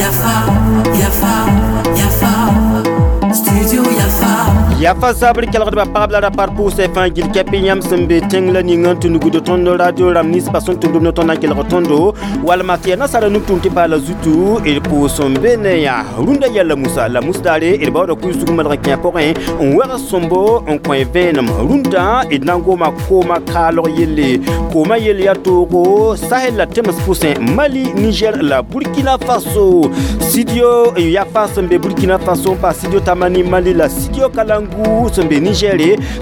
Yafa, Yafa, Yafa, Studio Yafa. Yafa zabr kelgdbã pagb la ra par pʋʋsã fãa gil kɛp yãmb sẽn be tẽng la ninga n tɩ nugd tõnd radio rãmb ninsbã sẽn tʋmd b ne tõnd na n kelg tõndo walma tɩ yaa nasaara nug-tʋʋm tɩ paala zutu d pʋʋs n be ne yã rũndã yɛla musa la mus daare d baooda kuɩsug malg n kẽ pʋgẽ n wɛg sõmbo n kõ vẽenem rũndã d na n goma koomã kaalg yelle koomã yell yaa toogo Sahel la tems pʋsẽ Mali, Niger la Burkina Faso. Studio Yafa sẽn be Burkina Faso n pa Studio Tamani Mali la Studio Kalangu sẽn be Niger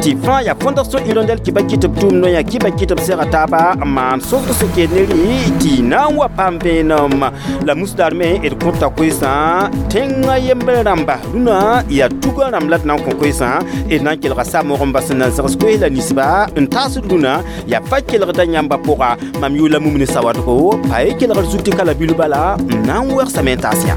tɩ fãa yaa Fondation Hirondelle kɩ ba kɩt b tʋʋm noyã kɩ ba kɩt b sɛga taaba n maan sõsg sẽn keed ne rɩ tɩ na n wa paam vẽenem la musdaar me d kõta koesã tẽngã yembr rãmba rũnã yaa tugã rãmb la d na n kõ koesã d na n kelga sa-moog n bas n na n zãgs koes la ninsba n taasd rũnã yaa fa kelgda yãmba pʋga mam yʋʋla mumne sawadgo pa ye kelgr zut tɩ ka la bil bala n na n wɛgsame n taas yã.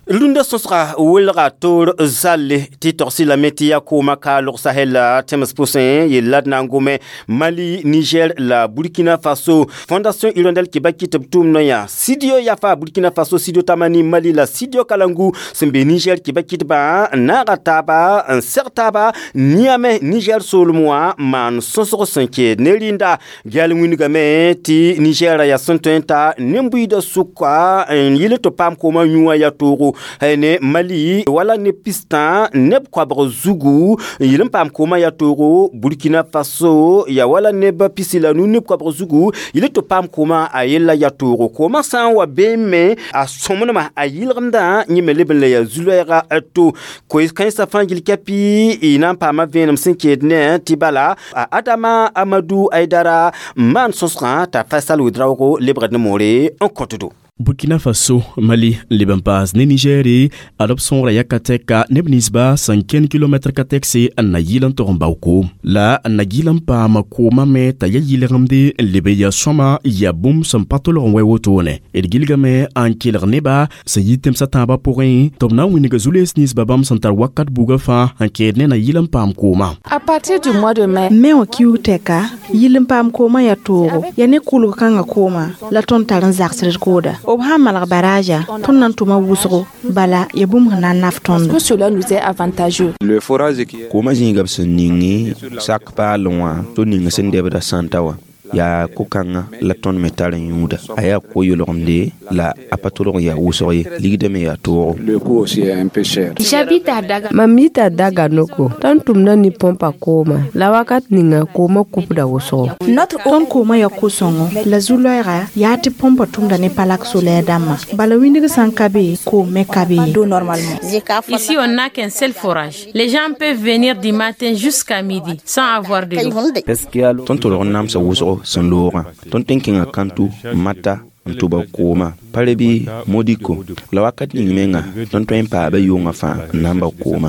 Rũndã sõsga welga toor zalle tɩ togsɩ lame tɩ yaa koomã kaalg Sahel la tẽms pʋsẽ yella d na n gome Mali, Niger la Burkina Faso. Fondation Hirondelle kɩ ba kɩt b tʋʋm noyã Studio Yafa Burkina Faso, Studio Tamani Mali la Studio Kalangu sẽn be Niger kɩ ba kɩtbã n naaga taaba n seg taaba Niamey Niger soolem wã n maan sõsg sẽn keed ne rĩnda gɛl wĩndgame tɩ Niger yaa sẽn tõe n ta nen-buiidã sʋka n yɩl tɩ paam koomã yũ wã yaa toogo ne Mali wala ne pistã neb koabg zugu yɩl n paam koomã yaa toogo Burkina Faso ya wala neb pisi la nu neb koabg zugu yɩl tɩ paam koomã a yella yaa toogo koomã sã n wa beeme a sõmnema a yɩlgemdã yẽ me leb n la yaa zu-loɛɛga to koes-kãensã fãa gil kɛpɩ y na n paama vẽenem sẽn keed ne tɩ bala a Adama Amadou Aidara n maan sõsgã t'a Faisal Ouedraogo lebgd ne moore n kõtdo. Burkina Faso, Mali, leb n paas ne Nigeri, ad b sõogra yaka tɛka neb ninsba sẽn kẽnd kilomɛtr ka tɛkse n na yɩl n tog n bao koom. La n na yɩl n paama koomã me t'a ya yɩlgemde n leb n yaa sõma yaa bũmb sẽn pa tolg n wɛ wotone. D gilgame n kelg nebã sẽn yi tẽmsã tãabã pʋgẽ tɩ b na n wĩnga zu-lees ninsba bãmb sẽn tar wakat bugã fãa n keed ne na yɩl n paam koomã. À partir du mois de mai, Mai wã kiuug tɛka yɩl n paam koomã yaa toogo yaa ne kʋlg kãngã koomã la tõnd tar n zagsd kooda b sãn malg baraja tõnd na n tʋma wʋsgo bala yaa bũmb sẽn na n naf parce tõndo. que cela nous est avantageux. Le forage qui est Koomã zĩiga b sẽn ningi sak paalẽ wã tɩ ning sẽn debda sãnta wã yaa ko-kãngã la tõnd me tar n yũuda a yaa ko-yʋlgemde la a pa tolg n yaa wʋsg ye ligdã me yaa toogo. Le coût aussi est un peu cher. J'habite à Daga. Mam yita Daganoko tõnd tʋmda ne põmpa kooma la wakat ninga koomã kupda wʋsgo. Notre tõnd koomã yaa ko-sõngo la zu-loɛɛga yaa tɩ põmpa tʋmda ne palak solɛr dãmbã bala wĩndg sã n ka be koom me ka be ye. Normalement. Ici, on n'a qu'un seul forage. Les gens peuvent venir du matin jusqu'à midi sans avoir de l'eau. Tõnd tolg n namsa wʋsgo sẽn loogã tõnd tõe n kẽnga Kãntu Mata n tʋba koomã Parebi Modiko la wakat ning menga tõnd tõe n paaba yʋngã fãa n na n ba koomã.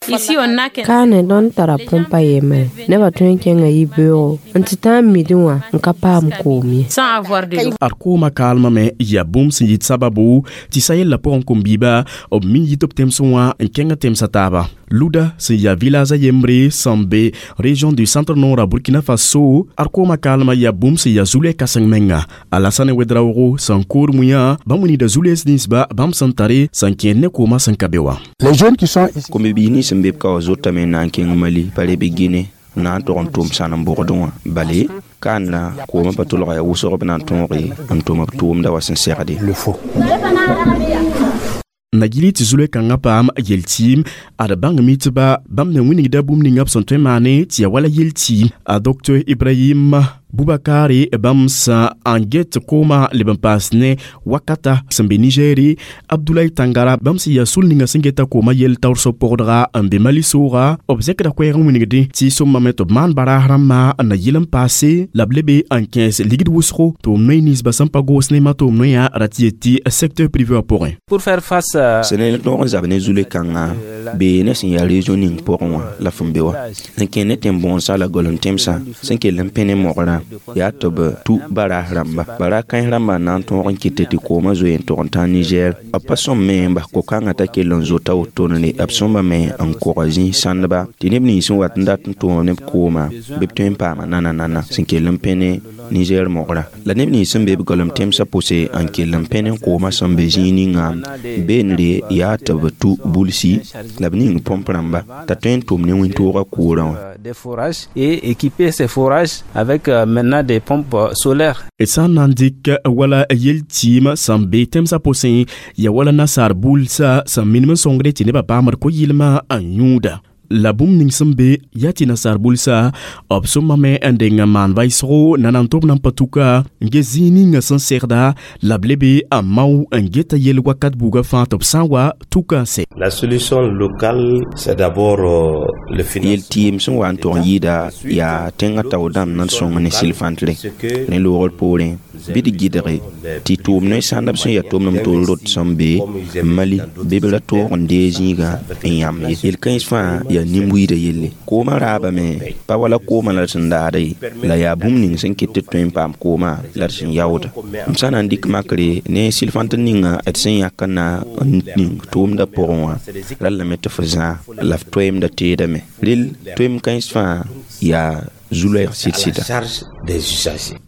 Ici, on n'a qu'un Kaane tõnd tara põmpa yembre nebã tõe n kẽnga yibeoogo n tɩ tãag midi wã n ka paam koom ye. Sans avoir de l'eau. Ad koomã kaalmã me yaa bũmb sẽn yit sababu tɩ sa yella pʋgẽ kom-biiba b min yit b tẽmsẽ wã n kẽngã tẽmsã taaba. Luda sẽn yaa village a yembre sẽn be région du centre nord a Burkina Faso ad koomã kaalmã yaa bũmb sẽn yaa zu-loɛ kãseng menga. Alassane Ouedraogo sẽn kood mũyã bãmb wilgda zu-lees ninsba bãmb sẽn tare sẽn kẽed ne koomã sẽn ka be wã. Les jeunes qui sont ici Kom-bi-biis nins sẽn be b ka wã zotame n na n kẽng Mali pa reb Guinée n na n tog n tʋm sãn n bʋgdẽ wã bale kaanda koomã pa tolga yaa wʋsg b na n tõoge n tʋm b tʋʋmda wa sẽn segde. Le faut. Na gili tɩ zu-loɛ kãngã paam yel-tɩɩm ad bãngame tɩ ba bãmb na wĩnigda bũmb ninga b sẽn tõe n maane tɩ yaa wala yel-tɩɩm a Dr Ibrahim Bubakare bãmb sã n get koomã leb n paas ne wakata sẽn be Nigeri Abdoulaye Tangara bãmb sẽn yaa sul ninga sẽn geta koomã yell taoor so-pʋgdga n be Mali sooga b zẽkda koɛɛg n wĩnigdẽ tɩ sõmbame tɩ b maan baraas rãmbã n na yɩl n paase la b lebe n kẽes ligd wʋsgo tɩ b noe ninsba sẽn pa goos ne tɩ b noyã ra tɩ yet tɩ secteur privé wã pʋgẽ. Pour faire face à Sẽn ne tõog n zab ne zu-loe kãngã bee ne sẽn yaa région ning pʋgẽ wã la fõn be wã sẽn kẽ ne tẽn-bõonsã la golem tẽmsã sẽn kell n pẽ ne mogrã fãa yaa tɩ b tu baraas rãmba bara kãens rãmbã n na n tõog n kɩt tɩ koomã zoe n tog n tã Niger b pa sõm me n bas ko-kãngã t'a kell n zota wotone b sõmbame n koga zĩis sãndba tɩ neb nins sẽn wat n dat n tʋʋm neb koomã bɩ b tõe n paama nana-nana sẽn kell n pẽ ne Niger mogrã la neb nins sẽn be b golem tẽmsã pʋse n kell n pẽ ne koomã sẽn be zĩig ninga beendre yaa tɩ b tu bulsi la b ning põmp rãmba t'a tõe n tʋm ne wĩntoogã koorã wã. Des forages et équiper ces forages avec maintenant des pompes solaires. Sã n na n dɩk wala yel-tɩɩm sẽn be tẽmsã pʋsẽ ya wala nasaar bulsã sẽn minim n sõngde tɩ nebã paamd ko-yɩlmã n yũuda. La bũmb ning sẽn be yaa tɩ nasaar bulsã b sõmame n deng n maan vaɩsgo na n tʋb nan pa tuka n ges zĩig ninga sẽn segda la b lebe n mao n geta yel wakat buugã fãa tɩ b sã n wa tuka n sɛ. La solution locale, c'est d'abord le financement. Yel-tɩɩm sẽn wa n tog n yɩɩda yaa tẽngã tao dãmb na n sõng ne sɩl-fãntre ne loogr poorẽ bɩ d gɩdge tɩ tʋʋm ne sãndb sẽn yaa tʋmd tol rot sẽn be Mali bɩ b ra toog n dee zĩigã n yãmb ye yel-kãens fãa yaa nin-buiidã yelle koomã raabame pa wala koomã la d sẽn daada ye la yaa bũmb ning sẽn ket tɩ d tõe n paam koomã la d sẽn yaooda m sã na n dɩk makre ne sɩl-fãnt ninga d sẽn yãk n na n ning tʋʋmdã pʋgẽ wã rallame tɩ f zãa la f toeemda teedame rel toeem kãens fãa yaa zu-loɛɛg sɩd-sɩda.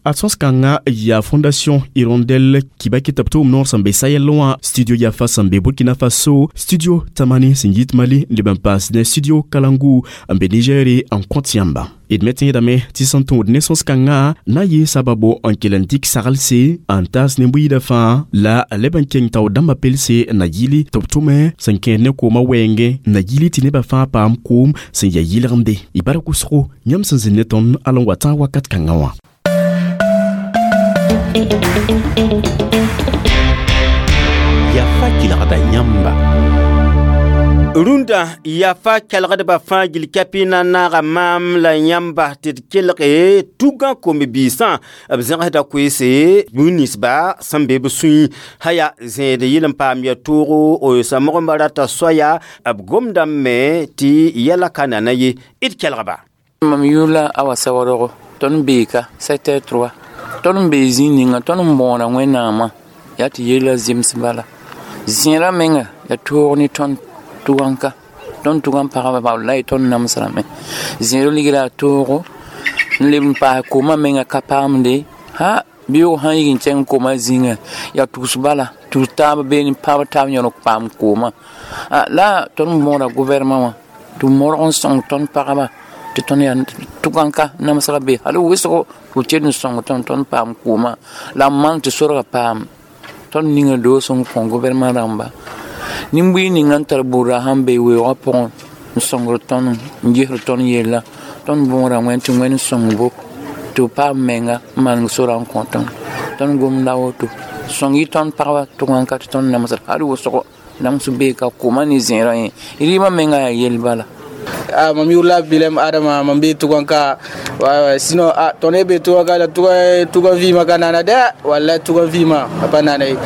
A sõs-kãngã yaa Fondation Hirondelle Kibaki tɩ b tʋʋm noor sẽn be Sahel wã studio Yafa sẽn be Burkina Faso studio Tamani sẽn yit Mali n leb n paas ne studio Kalangu n be Niger n kõt yãmba. D me tẽedame tɩ sẽn tũud ne sõs-kãngã na n yɩ sababo n kell n dɩk saglse n taas ne-buiidã fãa la leb n keng tao dãmbã pelse n na yɩli tɩ b tʋme sẽn kẽed ne koomã wɛɛngẽ n na yɩli tɩ nebã fãa paam koom sẽn yaa yɩlgemde. Y bara kʋsgo yãmb sẽn zĩnd ne tõnd al n wa tãag wakat kãngã wã. Yafa kelgda yãmba. Rũndã yafa kelgdbã fãa gil kapi na n naaga maam la yãmba tɩ d kelge tugã kom-biisã b zẽgsda koeese bũmb ninsba sẽn be b sũyẽ sã yaa zẽed yɩl n paam ya toogo samgembã rata soaya b gomdame tɩ yɛla ka nana ye d kelgba. Mam yʋʋr la Awa Sawadogo tõnd beeka secteur 3 tõnd n bee zĩig ninga tõnd n bõoda Wẽnnaamã yaa tɩ yella zems bala zẽera menga ya toog ne tõnd tʋganka tõnd tʋgan pagba wallahi tõnd namsrame zẽer ligra a toogo n leb n paas koomã menga ka paamde ha beoog sã n yik n kẽng koomã zĩnga yaa tugs bala tugs taab beene paab taab yõlg paam koomã la tõnd bõoda gouvernement wã tɩ modg n sõng tõnd pagba tɩ tõnd yaa tʋganka namsga be hal wʋsgo tɩ b kell n sõng tõnd tõnd paam koomã la n maan tɩ sorga paam tõnd ninga doos n kõ gouvernement rãmba nin-buiig ninga n tar buudra sãn be weoogã pʋgẽ n sõngd tõnd n gesd tõnd yella tõnd bõoda wẽnd tɩ wẽnd sõng bo tɩ b paam menga n maneg sora n kõ tõnd tõnd gomda woto sõng yɩ tõnd pagba tʋgãnka tɩ tõnd namsd hal wʋsgo nams beeka koomã ne zẽerã yẽ rɩɩmã menga yaa yell bala. Ah, mam yʋʋr la Bilem Adama, mam be Tʋganka. Ouais, sinon, ah, tõnd be Tʋganka la tʋgan vɩɩmã ka nana dɛ. Wallahi tʋgan vɩɩmã a pa nana ye.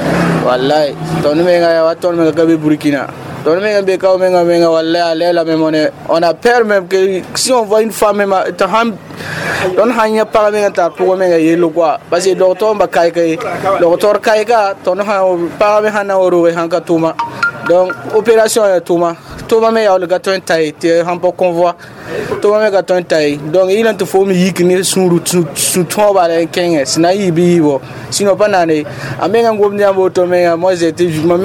Wallahi tõnd menga wa tõnd menga ka be Burkina. Tõnd menga be ka menga menga wallahi à l'air là même on a peur même que si on voit une femme même tõnd sãn yã pag menga tar pʋgã menga yello quoi parce que docteur ba kaɩka ye docteur kaɩka tõnd sãn pagã me sãn na n wa roge sãn ka tʋma donc opération ya tʋma tʋma me yaool ka tõe n ta ye tɩ sãn pa convoi tʋma me ka tõe n ta ye donc yɩl tɩ fo me yik ne sũur sũ-tõog bala n kẽngẽ sẽn na n yɩ bɩ yɩɩbo sinon pa naane a menga n gomd yãmb woto menga moi j'étais mam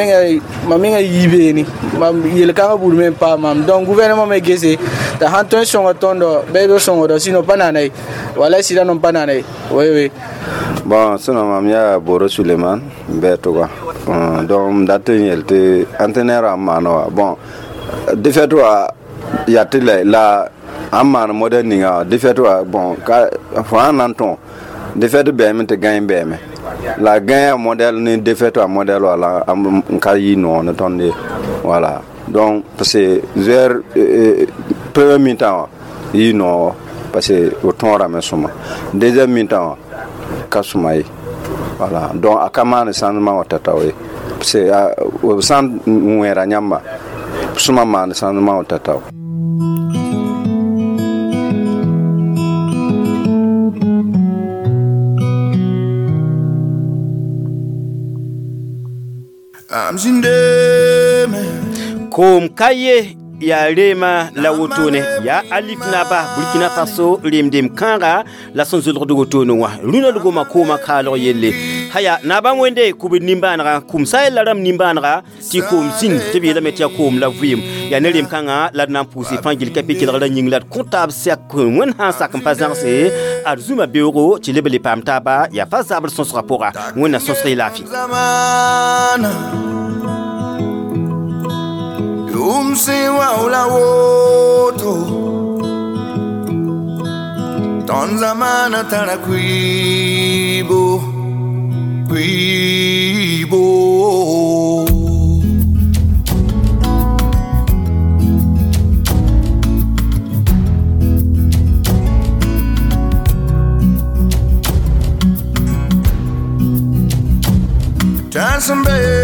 menga yii beene mam yel-kãngã buud me n paam mam donc gouvernement me gese t'a sãn tõe n sõnga tõndo bɩ b sõngdo sinon pa naana ye wala sɩda nom pa naana ye oui oui. Bon, sinon mam yaa Boro Suleiman n bɩ tʋga donc m dat n yel tɩ entraîneur n maan wa bon défaite wa yaa tɩ la ãn maan modèle ninga défaite wa bon ka fo sãn na n tõo défaite bɛɛme tɩ gãe bɛɛme la gãe modèle ne défaite wa modèle wa la n ka yɩ noog ne tõnd ye voilà donc parce que joueur premier mi-temps wa yɩ noog parce que o tõorame sõma deuxième mi-temps wa ka sõma ye voilà donc a ka maan changement wa tao ye parce que b sã n wẽera yãmba sõma maan changement wa tao. Mam zĩndame. Koom ka ye yaa reema la wotone yaa alif naba Burkina Faso remdem kãaga la sẽn zʋlgd wotone wã rũnã d goma koomã kaalg yelle haya naabã wẽnde kubd nimbãanega kũmsa yella rãmb nimbãanega tɩ koom zĩnd tɩ b yeelame tɩ yaa koom la vɩɩm yaa ne rem kãngã la d na n pʋʋse fãa gill ka pɩ kelgra yĩng la d kõ taab sɛk wẽnd sã n sak n pa zãgse ad zũma beoogo tɩ leb le paam taaba yaa pa zabr sõsgã pʋga wẽnna sõsg y laafɩ. Zamana Yʋm sẽn wa la woto Tõnd zamana tara kuibo kuibo. Tãn sẽn be